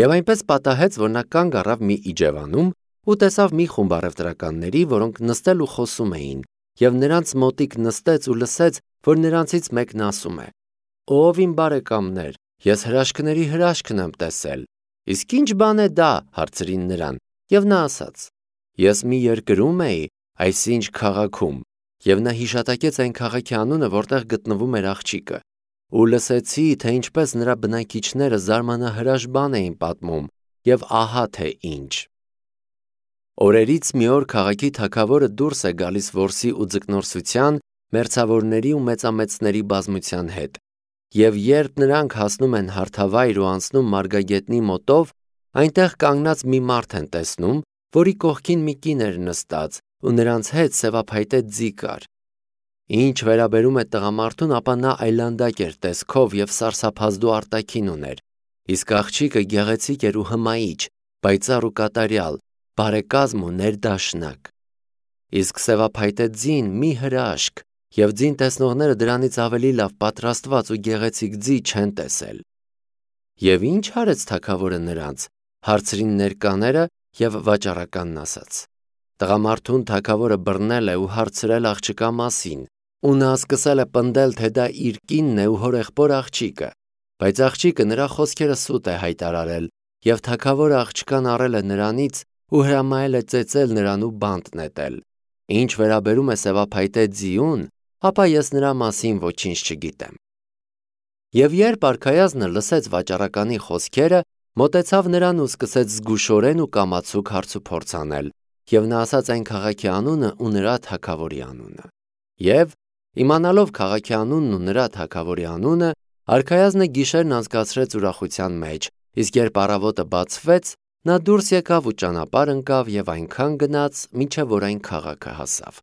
Եվ այնպես պատահեց, որ նա կանգ առավ մի իջևանում ու տեսավ մի խումբ առևտրականների, որոնք նստել ու խոսում էին, եւ նրանց մոտիկ նստեց ու լսեց, որ նրանցից մեկն ասում է. «Ով իմ բարեկամներ, ես հրաշքների հրաշքն եմ տեսել»։ «Իսկ ինչ բան է դա»։ Հարցրին նրան, եւ նա ասաց. «Ես մի երկրում էի, այսինչ քաղաքում, եւ նա հիշատակեց այն քաղաքի անունը, որտեղ գտնվում էր աղջիկը, ու լսեցի, թե ինչպես նրա բնակիչները զարմանահրաշ բան էին պատմում, եւ ահա թե ինչ։ Օրերից մի օր քաղաքի թագավորը դուրս է գալիս որսի ու ձկնորսության, մերձավորների ու մեծամեծների բազմության հետ, եւ երբ նրանք հասնում են հարթավայր ու անցնում մարգագետնի մոտով, այնտեղ կանգնած մի մարդ են տեսնում, որի կողքին մի կին էր նստած, ու նրանց հետ սևափայտե ձի կար։ Ինչ վերաբերում է տղամարդուն, ապա նա այլանդակ էր տեսքով եւ սարսափազդու արտաքին ուներ, իսկ աղջիկը գեղեցիկ էր ու հմայիչ, պայծառ ու կատարյալ, բարեկազմ ու ներդաշնակ։ Իսկ սևափայտե ձին մի հրաշք, եւ ձին տեսնողները դրանից ավելի լավ պատրաստված ու գեղեցիկ ձի չեն տեսել։ Եվ ինչ արեց թագավորը նրանց, հարցրին ներկաները եւ վաճառականն ասաց. Տղամարդուն թագավորը բռնել է ու հարցրել աղջկա մասին, ու նա սկսել է պնդել, թե դա իր կինն է ու հորեղբոր աղջիկը, բայց աղջիկը նրա խոսքերը սուտ է հայտարարել, եւ թագավորը աղջկան առել է նրանից ու հրամայել է ծեծել նրան ու բանտ նետել։ Ինչ վերաբերում է սևափայտե ձիուն, ապա ես նրա մասին ոչինչ չգիտեմ։ Եվ երբ արքայազնը լսեց վաճառականի խոսքերը, մոտեցավ նրան ու սկսեց զգուշորեն ու կամացուկ հարցուփորձ անել, եւ նա ասաց այն քաղաքի անունը ու նրա թագավորի անունը։ Եվ իմանալով քաղաքի անունն ու նրա թագավորի անունը, արքայազնը գիշերն անցկացրեց ուրախության մեջ, իսկ երբ առավոտը բացվեց, նա դուրս եկավ ու ճանապարհ ընկավ եւ այնքան գնաց, մինչեւ որ այն քաղաքը հասավ։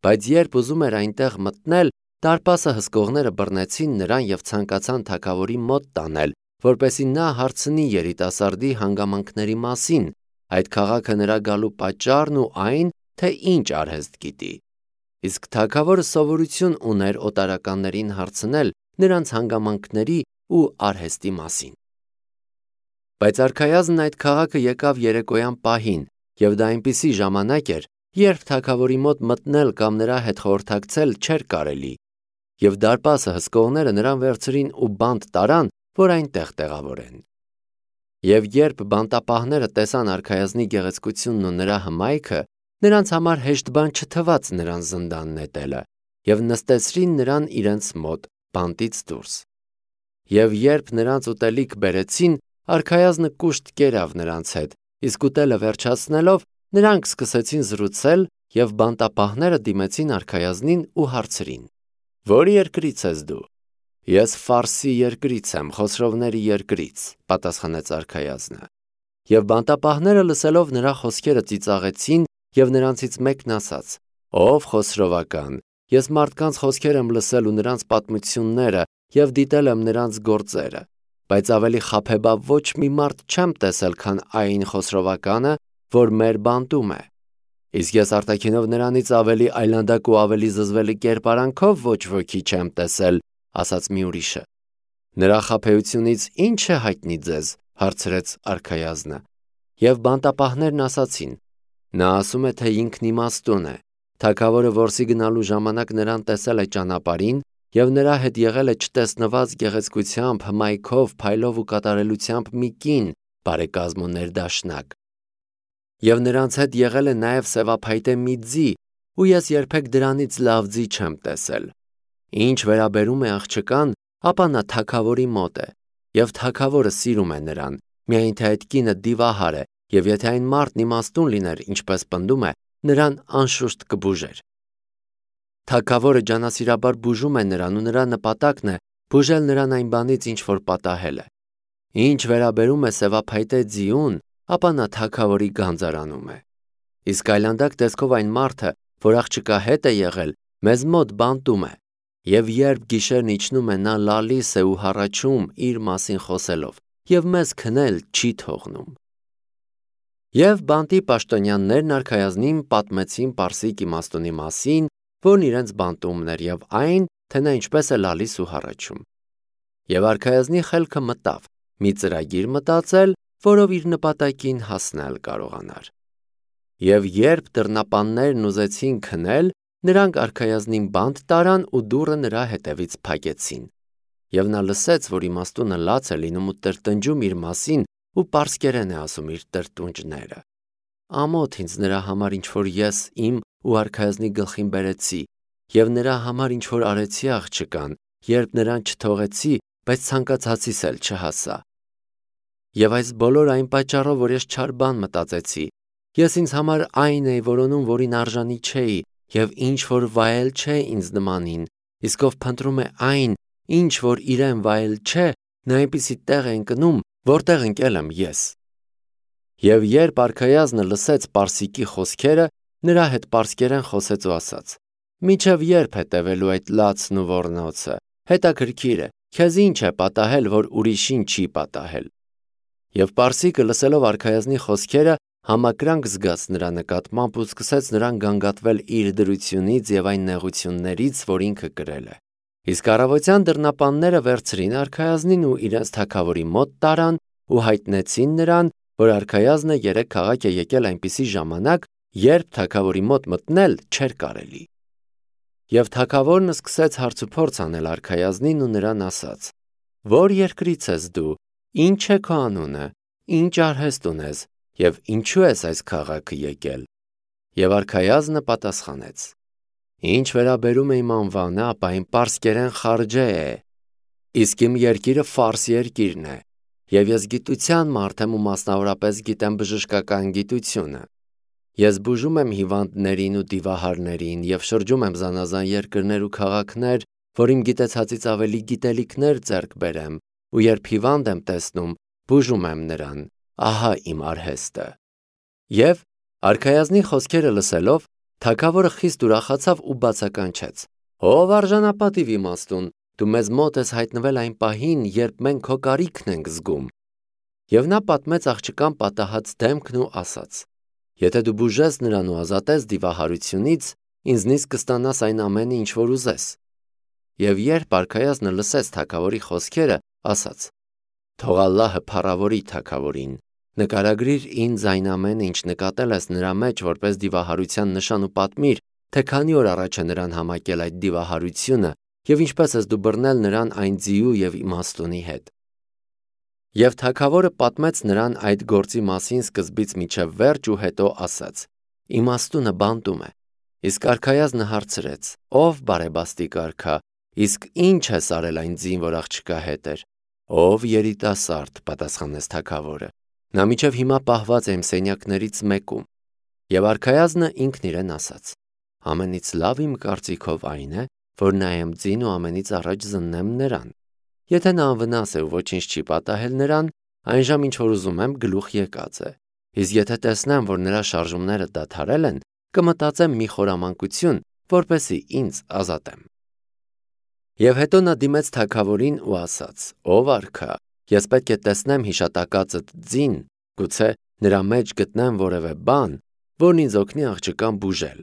Բայց երբ ուզում էր այնտեղ մտնել, դարպասը հսկողները բռնեցին նրան եւ ցանկացան թագավորի մոտ տանել, որպեսզի նա հարցնի երիտասարդի հանգամանքների մասին, այդ քաղաքը նրա գալու պատճառն ու այն, թե ինչ արհեստ գիտի։ Իսկ թագավորը սովորություն ուներ օտարականներին հարցնել նրանց հանգամանքների ու արհեստի մասին։ Բայց արքայազնն այդ քաղաքը եկավ երեկոյան պահին, եւ դա այնպիսի ժամանակ էր, երբ թագավորի մոտ մտնել կամ նրա հետ խորհրդակցել չէր կարելի, եւ դարպասը հսկողները նրան վերցրին ու բանտ տարան, որ այնտեղ տեղավորեն։ Եվ երբ բանտապահները տեսան արքայազնի գեղեցկությունն ու նրա հմայքը, նրանց համար հեշտ բան չթվաց նրան զնդան նետելը, եւ նստեցրին նրան իրենց մոտ բանտից դուրս։ Եվ երբ նրանց ուտելիք բերեցին, արքայազնը կուշտ կերավ նրանց հետ, իսկ ուտելը վերջացնելով, նրանք սկսեցին զրուցել, եւ բանտապահները դիմեցին արքայազնին ու հարցրին. «Որ երկրից ես դու»։ «Ես Ֆարսի երկրից եմ, Խոսրովների երկրից», պատասխանեց արքայազնը։ Եվ բանտապահները լսելով նրա խոսքերը ծիծաղեցին, եւ նրանցից մեկն ասաց. «Ով Խոսրովական, ես մարդկանց խոսքեր եմ լսել ու նրանց պատմությունները եւ դիտել եմ նրանց գործերը, բայց ավելի խաբեբա ոչ մի մարդ չեմ տեսել, քան այն Խոսրովականը, որ մեր բանտում է։ Իսկ ես արտաքինով նրանից ավելի այլանդակ ու ավելի զզվելի կերպարանքով ոչ ոքի չեմ տեսել», ասաց մի ուրիշը։ «Նրա խաբեությունից ի՞նչ է հայտնի ձեզ», հարցրեց արքայազնը։ Եվ բանտապահներն ասացին. «Նա ասում է, թե ինքն իմաստուն է։ Թագավորը որսի գնալու ժամանակ նրան տեսել է ճանապարհին, եւ նրա հետ եղել է չտեսնված գեղեցկությամբ, հմայքով, փայլով ու կատարելությամբ մի կին, բարեկազմ ու ներդաշնակ։ Եվ նրանց հետ եղել է նաեւ սևափայտե մի ձի, ու ես երբեք դրանից լավ ձի չեմ տեսել։ Ինչ վերաբերում է աղջկան, ապա նա թագավորի մոտ է, եւ թագավորը սիրում է նրան, միայն թե այդ կինը դիվահար է, եւ եթե այն մարդն իմաստուն լիներ, ինչպես պնդում է, նրան անշուշտ կբուժեր։ Թագավորը ջանասիրաբար բուժում է նրան ու նրա նպատակն է բուժել նրան այն բանից, ինչ որ պատահել է։ Ինչ վերաբերում է սևափայտե ձիուն, ապա նա թագավորի գանձարանում է։ Իսկ այլանդակ տեսքով այն մարդը, որ աղջկա հետ է եղել, մեզ մոտ բանտում է, եւ երբ գիշերն իջնում է, նա լալիս է ու հառաչում իր մասին խոսելով, եւ մեզ քնել չի թողնում։ Եվ բանտի պաշտոնյաներն արքայազնին պատմեցին պարսիկ իմաստունի մասին, որն իրենց բանտումն էր, եւ այն, թե նա ինչպես է լալիս ու հառաչում։ Եվ արքայազնի խելքը մտավ մի ծրագիր մտածել, որով իր նպատակին հասնել կարողանար։ Եվ երբ դռնապաններն ուզեցին քնել, նրանք արքայազնին բանտ տարան ու դուռը նրա հետևից փակեցին։ Եվ նա լսեց, որ իմաստունը լաց է լինում ու տրտնջում իր մասին ու պարսկերեն է ասում իր տրտունջները։ Ամոթ ինձ նրա համար, ինչ որ ես իմ ու արքայազնի գլխին բերեցի, եւ նրա համար ինչ որ արեցի աղջկան, երբ նրան չթողեցի, բայց ցանկացածիս էլ չհասա։ Եվ այս բոլոր այն պատճառով, որ ես չար բան մտածեցի, ես ինձ համար այն էի որոնում, որին արժանի չէի, եւ ինչ որ վայել չէ ինձ նմանին, իսկ ով փնտրում է այն, ինչ որ իրեն վայել չէ, նա այնպիսի տեղ է ընկնում, որտեղ ընկել եմ ես։ Եվ երբ արքայազնը լսեց Պարսիկի խոսքերը, նրա հետ պարսկերեն խոսեց ու ասաց. «Մինչև երբ հետևելու այդ լացն ու ոռնոցը, հետաքրքիր է, քեզ ինչ է պատահել, որ ուրիշին չի պատահել»։ Եվ Պարսիկը լսելով արքայազնի խոսքերը, համակրանք զգաց նրա նկատմամբ ու սկսեց նրան գանգատվել իր դրությունից եւ այն նեղություններից, որ ինքը կրել է։ Իսկ առավոտյան դռնապանները վերցրին արքայազնին ու իրենց թագավորի մոտ տարան ու հայտնեցին նրան, որ արքայազնը երեք քաղաք է եկել այնպիսի ժամանակ, երբ թագավորի մոտ մտնել չէր կարելի։ Եվ թագավորն սկսեց հարցուփորձ անել արքայազնին ու նրան ասաց. «Որ երկրից ես դու, ինչ է քո անունը, ինչ արհեստ ունես եւ ինչու ես այս քաղաքը եկել»։ Եվ արքայազնը պատասխանեց. «Ինչ վերաբերում է իմ անվանը, ապա իմ պարսկերեն Խարջե է, իսկ իմ երկիրը Ֆարս երկիրն է, եւ ես գիտության մարդ եմ ու մասնավորապես գիտեմ բժշկական գիտությունը։ Ես բուժում եմ հիվանդներին ու դիվահարներին եւ շրջում եմ զանազան երկրներ ու քաղաքներ, որ իմ գիտեցածից ավելի գիտելիքներ ձեռք բերեմ, ու երբ հիվանդ եմ տեսնում, բուժում եմ նրան, ահա իմ արհեստը»։ Եվ արքայազնի խոսքերը լսելով, թագավորը խիստ ուրախացավ ու բացականչեց. «Ով արժանապատիվ իմաստուն, դու մեզ մոտ ես հայտնվել այն պահին, երբ մենք քո կարիքն ենք զգում»։ Եվ նա պատմեց աղջկան պատահած դեմքն ու ասաց. «Եթե դու բուժես նրան ու ազատես դիվահարությունից, ինձնից կստանաս այն ամենը, ինչ որ ուզես»։ Եվ երբ արքայազնը լսեց թագավորի խոսքերը, ասաց. «Թող Ալլահը փառավորի թագավորին, նկարագրիր ինձ այն ամենը, ինչ նկատել ես նրա մեջ որպես դիվահարության նշան ու պատմիր, թե քանի օր առաջ է նրան համակել այդ դիվահարությունը եւ ինչպես ես դու բռնել նրան այն ձիու եւ իմաստունի հետ»։ Եվ թագավորը պատմեց նրան այդ գործի մասին սկզբից մինչև վերջ ու հետո ասաց. «Իմաստունը բանտում է»։ Իսկ արքայազնը հարցրեց. «Ով բարեբաստիկ արքա, իսկ ինչ ես արել այն ձին, որ աղջկա հետ էր»։ «Ով երիտասարդ», պատասխանեց թագավորը։ «Նա մինչև հիմա պահված է իմ սենյակներից մեկում»։ Եվ արքայազնը ինքն իրեն ասաց. «Ամենից լավ իմ կարծիքով այն է, որ նայեմ ձին ու ամենից առաջ զննեմ նրան։ Եթե նա անվնաս է ու ոչինչ չի պատահել նրան, այնժամ ինչ որ ուզում եմ գլուխ եկած է։ Իսկ եթե տեսնեմ, որ նրա շարժումները դադարել են, կմտածեմ մի խորամանկություն, որպեսզի ինձ ազատեմ»։ Եվ հետո նա դիմեց թագավորին ու ասաց. «Ով արքա, ես պետք է տեսնեմ հիշատակածդ ձին, գուցե նրա մեջ գտնեմ որևէ բան, որն ինձ օգնի աղջկան բուժել»։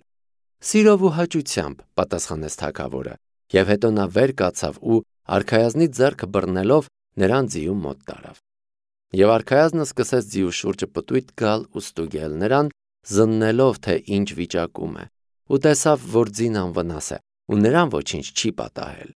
«Սիրով ու հաճությամբ», պատասխանեց թագավորը, եւ հետո նա վեր կացավ ու արքայազնի ձեռքը բռնելով նրան ձիու մոտ տարավ։ Եվ արքայազնը սկսեց ձիու շուրջը պտույտ գալ ու ստուգել նրան, զննելով, թե ինչ վիճակում է, ու տեսավ, որ ձին անվնաս է ու նրան ոչինչ չի պատահել։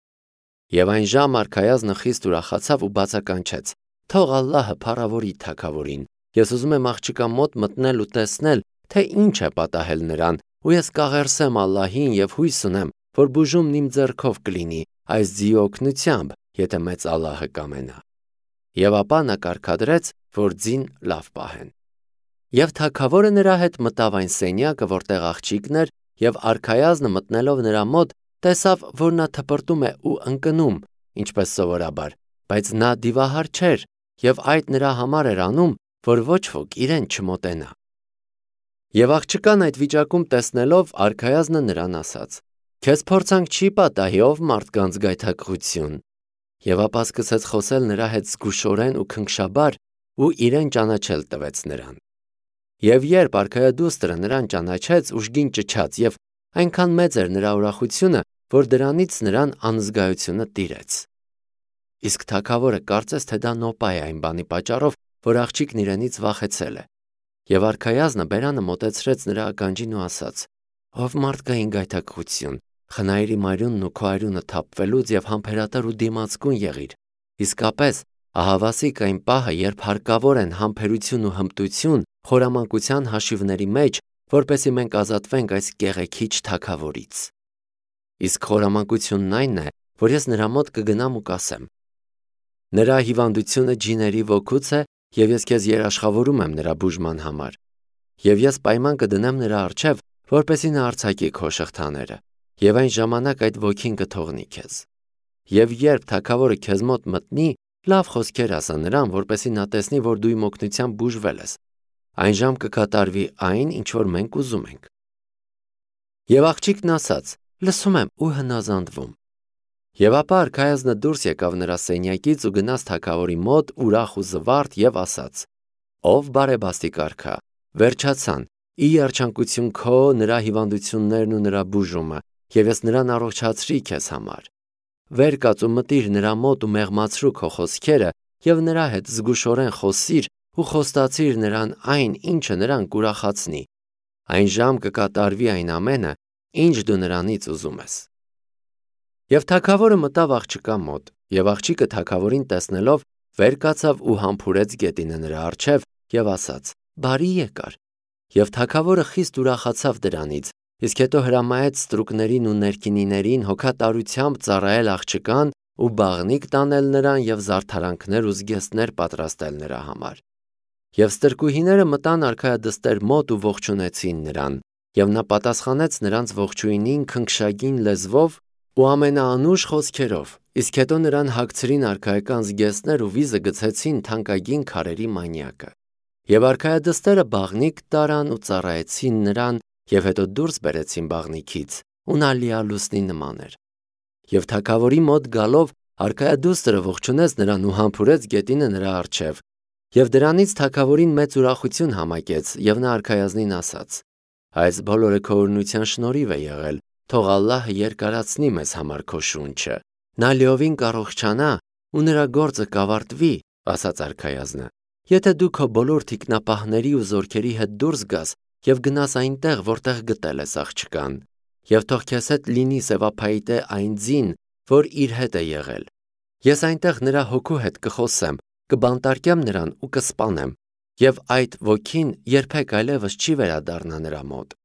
Եվ այն ժամ արքայազնը խիստ ուրախացավ ու բացականչեց. «Թող Ալլահը փառավորի թագավորին, ես ուզում եմ աղջկա մոտ մտնել ու տեսնել, թե ինչ է պատահել նրան, ու ես կաղերսեմ Ալլահին եւ հույս ունեմ, որ բուժումն իմ ձեռքով կլինի այս ձիու օգնությամբ, եթե մեծ Ալլահը կամենա»։ Եվ ապա նա կարգադրեց, որ ձին լավ պահեն։ Եվ թագավորը նրա հետ մտավ այն սենյակը, որտեղ աղջիկն էր, եւ արքայազնը մտնելով նրա մոտ, տեսավ, որ նա թպրտում է ու ընկնում, ինչպես սովորաբար, բայց նա դիվահար չէր, եւ այդ նրա համար էր անում, որ ոչ ոք իրեն չմոտենա։ Եվ աղջկան այդ վիճակում տեսնելով, արքայազնը նրան ասաց. «Քեզ փորձանք չի պատահի, ով մարդկանց գայթակղություն»։ Եվ ապա սկսեց խոսել նրա հետ զգուշորեն ու քնքշաբար ու իրեն ճանաչել տվեց նրան։ Եվ երբ արքայադուստրը նրան ճանաչեց, ուժգին ճչաց, եւ այնքան մեծ էր նրա ուրախությունը, որ դրանից նրան անզգայությունը տիրեց։ Իսկ թագավորը կարծես թե դա նոպա է այն բանի պատճառով, որ աղջիկն իրենից վախեցել է։ Եվ արքայազնը բերանը մոտեցրեց նրա ականջին ու ասաց. «Ով մարդկային գայթակղություն, խնայիր իմ արյունն ու քո արյունը թափվելուց եւ համբերատար ու դիմացկուն եղիր։ Իսկապես, ահավասիկ այն պահը, երբ հարկավոր են համբերություն ու հմտություն խորամանկության հաշիվների մեջ, որպեսզի մենք ազատվենք այս կեղեքիչ թագավորից։ Իսկ խորամանկությունն այն է, որ ես նրա մոտ կգնամ ու կասեմ. նրա հիվանդությունը ջիների ոգուց է, եւ ես քեզ երաշխավորում եմ նրա բուժման համար։ Եվ ես պայման կդնեմ նրա առջև, որպեսզի նա արձակի քո շղթաները, եւ այն ժամանակ այդ ոգին կթողնի քեզ։ Եվ երբ թագավորը քեզ մոտ մտնի, լավ խոսքեր ասա նրան, որպեսզի նա տեսնի, որ դու իմ օգնությամբ բուժվել ես։ Այն ժամ կկատարվի այն, ինչ որ մենք ուզում ենք։ Եվ աղջիկն ասաց. լսում եմ ու հնազանդվում։ Եվ ապա արքայազնը դուրս եկավ նրա սենյակից ու գնաց թագավորի մոտ ուրախ ու զվարթ եւ ասաց. ով բարեբաստիկ արքա, վերջացան, ի երջանկություն քո նրա հիվանդություններն ու նրա բուժումը, եւ ես նրան առողջացրի քեզ համար։ Վեր կաց ու մտիր նրա մոտ ու մեղմացրու քո խոսքերը եւ նրա հետ զգուշորեն խոսիր ու խոստացիր նրան այն, ինչը նրան կուրախացնի։ Այն ժամ կկատարվի այն ամենը, ինչ դու նրանից ուզում ես։ Եվ թագավորը մտավ աղջկա մոտ, եւ աղջիկը թագավորին տեսնելով վեր կացավ ու համբուրեց գետինը նրա առջև եւ ասաց. բարի եկար։ Եվ թագավորը խիստ ուրախացավ դրանից, իսկ հետո հրամայեց ստրուկներին ու ներքինիներին հոգատարությամբ ծառայել աղջկան ու բաղնիք տանել նրան եւ զարդարանքներ ու զգեստներ պատրաստել նրա համար։ Եվ ստրկուհիները մտան արքայադստեր մոտ ու ողջունեցին նրան, եւ նա պատասխանեց նրանց ողջույնին քնքշագին լեզվով ու ամենաանուշ խոսքերով, իսկ հետո նրան հագցրին արքայական զգեստներ ու վիզը գցեցին թանկագին քարերի մանյակը։ Եվ արքայադստերը բաղնիք տարան ու ծառայեցին նրան, եւ հետո դուրս բերեցին բաղնիքից, ու նա լիալուսնի նման էր։ Եվ թագավորի մոտ գալով արքայադուստրը ողջունեց նրան ու համբուրեց գետինը նրա առջև։ Եվ դրանից թագավորին մեծ ուրախություն համակեց, եւ նա արքայազնին ասաց. այս բոլորը քո օրհնության շնորհիվ է եղել, թող Ալլահը երկարացնի մեզ համար քո շունչը։ Նա լիովին կառողջանա ու նրա գործը կավարտվի, ասաց արքայազնը։ Եթե դու քո բոլոր թիկնապահների ու զորքերի հետ դուրս գաս եւ գնաս այնտեղ, որտեղ գտել ես աղջկան, եւ թող քեզ հետ լինի սևափայտե այն ձին, որ իր հետ է եղել։ Ես այնտեղ նրա հոգու հետ կխոսեմ, կբանտարկեմ նրան ու կսպանեմ, եւ այդ ոգին երբեք այլևս չի վերադառնա նրա մոտ։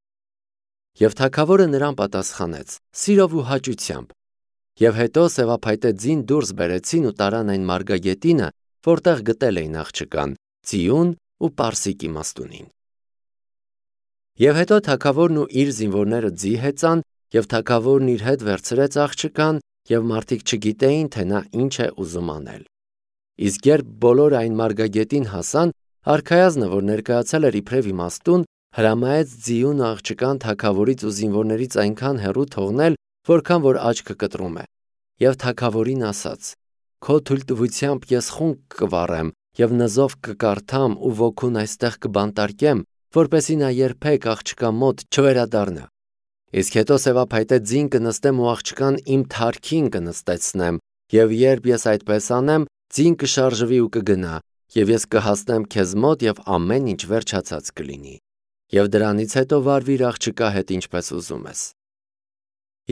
Եվ թագավորը նրան պատասխանեց. սիրով ու հաճությամբ։ Եվ հետո սևափայտե ձին դուրս բերեցին ու տարան այն մարգագետինը, որտեղ գտել էին աղջկան, Ծիուն ու Պարսիկ իմաստունին։ Եվ հետո թագավորն ու իր զինվորները ձի հեծան, եւ թագավորն իր հետ վերցրեց աղջկան, եւ մարդիկ չգիտեին, թե նա ինչ է ուզում անել։ Իսկ երբ բոլորը այն մարգագետին հասան, արքայազնը, որ ներկայացել էր իբրև իմաստուն, հրամայեց Ձիուն աղջկան թագավորից ու զինվորներից այնքան հեռու թողնել, որքան որ աչքը կտրում է։ Եվ թագավորին ասաց. քո թույլտվությամբ ես խունկ կվառեմ եւ նզով կկարդամ ու ոգուն այստեղ կբանտարկեմ, որպեսզի նա երբեք աղջկա մոտ չվերադառնա։ Իսկ հետո սևափայտե ձին կնստեմ ու աղջկան իմ թարքին կնստեցնեմ, եւ երբ ես այդպես անեմ, ձին կշարժվի ու կգնա, եւ ես կհասնեմ քեզ մոտ եւ ամեն ինչ վերջացած կլինի։ Եվ դրանից հետո վարվիր աղջկա հետ ինչպես ուզում ես։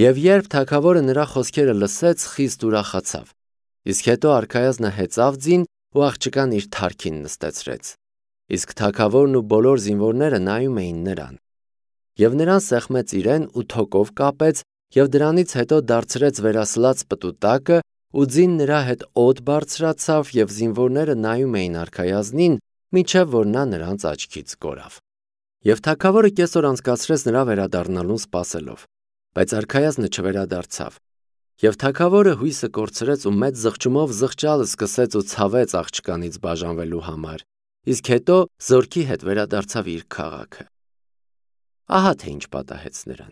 Եվ երբ թագավորը նրա խոսքերը լսեց, խիստ ուրախացավ։ Իսկ հետո արքայազնը հեծավ ձին ու աղջկան իր թարքին նստեցրեց։ Իսկ թագավորն ու բոլոր զինվորները նայում էին նրան։ Եվ նրան սեղմեց իրեն ու թոկով կապեց, եւ դրանից հետո դարձրեց վերասլաց պտուտակը ու ձին նրա հետ օդ բարձրացավ, եւ զինվորները նայում էին արքայազնին, մինչև որ նա նրանց աչքից կորավ։ Եվ թագավորը կեսօր անցկացրեց նրա վերադառնալուն սպասելով, բայց արքայազնը չվերադարձավ։ Եվ թագավորը հույսը կորցրեց ու մեծ զղջումով զղջալը սկսեց ու ցավեց աղջկանից բաժանվելու համար, իսկ հետո զորքի հետ վերադարձավ իր քաղաքը։ Ահա թե ինչ պատահեց նրան։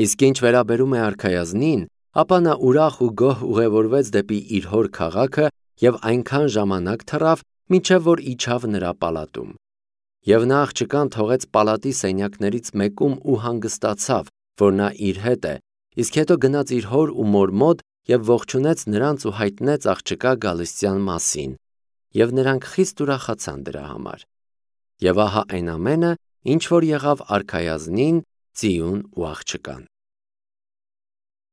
Իսկ ինչ վերաբերում է արքայազնին, ապա նա ուրախ ու գոհ ուղևորվեց դեպի իր հոր քաղաքը եւ այնքան ժամանակ թռավ, մինչև որ իջավ նրա պալատում։ Եվ նա աղջկան թողեց պալատի սենյակներից մեկում ու հանգստացավ, որ նա իր հետ է, իսկ հետո գնաց իր հոր ու մոր մոտ եւ ողջունեց նրանց ու հայտնեց աղջկա գալստյան մասին։ եւ նրանք խիստ ուրախացան դրա համար։ Եվ ահա այն ամենը, ինչ որ եղավ արքայազնին, ծիուն ու աղջկան։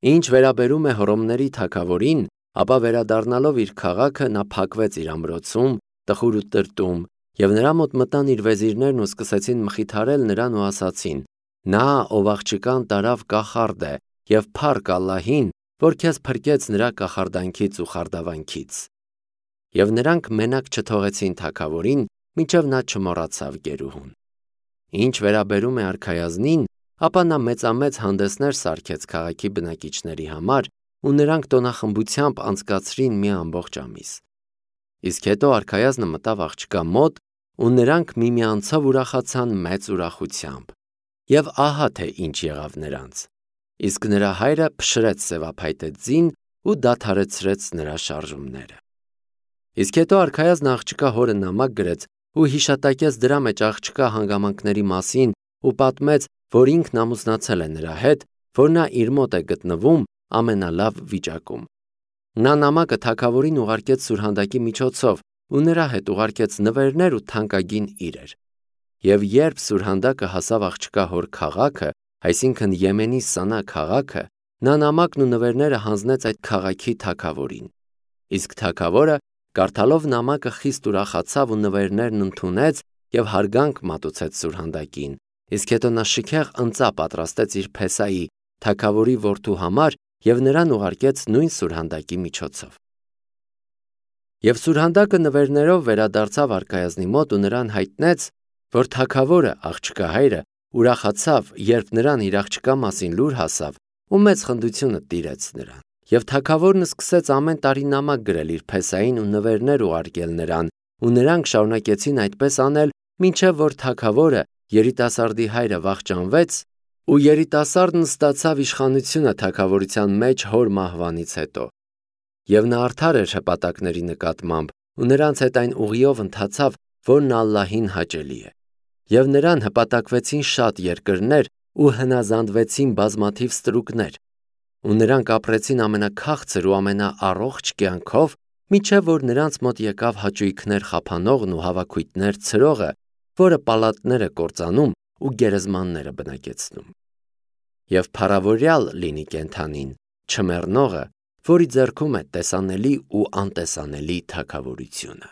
Ինչ վերաբերում է Հռոմների թագավորին, ապա վերադառնալով իր քաղաքը նա փակվեց իր ամրոցում, տխուր ու տրտում, եւ նրա մոտ մտան իր վեզիրներն ու սկսեցին մխիթարել նրան ու ասացին. «Նա, ով աղջկան տարավ կախարդ է, եւ փառք Ալլահին, որ քեզ փրկեց նրա կախարդանքից ու խարդավանքից»։ Եվ նրանք մենակ չթողեցին թագավորին, մինչև նա չմոռացավ գերուհուն։ Ինչ վերաբերում է արքայազնին, ապա նա մեծամեծ հանդեսներ սարքեց քաղաքի բնակիչների համար, ու նրանք տոնախմբությամբ անցկացրին մի ամբողջ ամիս։ Իսկ հետո արքայազնը մտավ աղջկա մոտ, ու նրանք միմյանցով ուրախացան մեծ ուրախությամբ։ Եվ ահա թե ինչ եղավ նրանց։ Իսկ նրա հայրը փշրեց սևափայտե ձին ու դադարեցրեց նրա շարժումները։ Իսկ հետո արքայազնը աղջկա հորը նամակ գրեց ու հիշատակեց դրա մեջ աղջկա հանգամանքների մասին ու պատմեց, որ ինքն ամուսնացել է նրա հետ, որ նա իր մոտ է գտնվում ամենալավ վիճակում։ Նա նամակը թագավորին ուղարկեց սուրհանդակի միջոցով ու նրա հետ ուղարկեց նվերներ ու թանկագին իրեր։ Եվ երբ սուրհանդակը հասավ աղջկա հոր քաղաքը, այսինքն Եմենի Սանա քաղաքը, նա նամակն ու նվերները հանձնեց այդ քաղաքի թագավորին։ Իսկ թագավորը կարդալով նամակը խիստ ուրախացավ ու նվերներն ընդունեց եւ հարգանք մատուցեց սուրհանդակին։ Իսկ հետո նա շքեղ ընծա պատրաստեց իր փեսայի, թագավորի որդու համար եւ նրան ուղարկեց նույն սուրհանդակի միջոցով։ Եվ սուրհանդակը նվերներով վերադարձավ արքայազնի մոտ ու նրան հայտնեց, որ թագավորը, աղջկա հայրը, ուրախացավ, երբ նրան իր աղջկա մասին լուր հասավ ու մեծ խնդությունը տիրեց նրան։ Եվ թագավորն սկսեց ամեն տարի նամակ գրել իր փեսային ու նվերներ ուղարկել նրան, ու նրանք շարունակեցին այդպես անել, մինչև որ թագավորը, երիտասարդի հայրը, վախճանվեց, ու երիտասարդն ստացավ իշխանությունը թագավորության մեջ հոր մահվանից հետո։ Եվ նա արդար էր հպատակների նկատմամբ, ու նրանց հետ այն ուղիով ընթացավ, որն Ալլահին հաճելի է։ Եվ նրան հպատակվեցին շատ երկրներ ու հնազանդվեցին բազմաթիվ ստրուկներ։ Ու նրանք ապրեցին ամենաքաղցր ու ամենաառողջ կյանքով, մինչև որ նրանց մոտ եկավ հաճույքներ խափանողն ու հավաքույտներ ցրողը, որը պալատներ է կործանում ու գերեզմաններ է բնակեցնում։ Եվ փառավորյալ լինի կենդանին, չմեռնողը, որի ձեռքում է տեսանելի ու անտեսանելի թագավորությունը։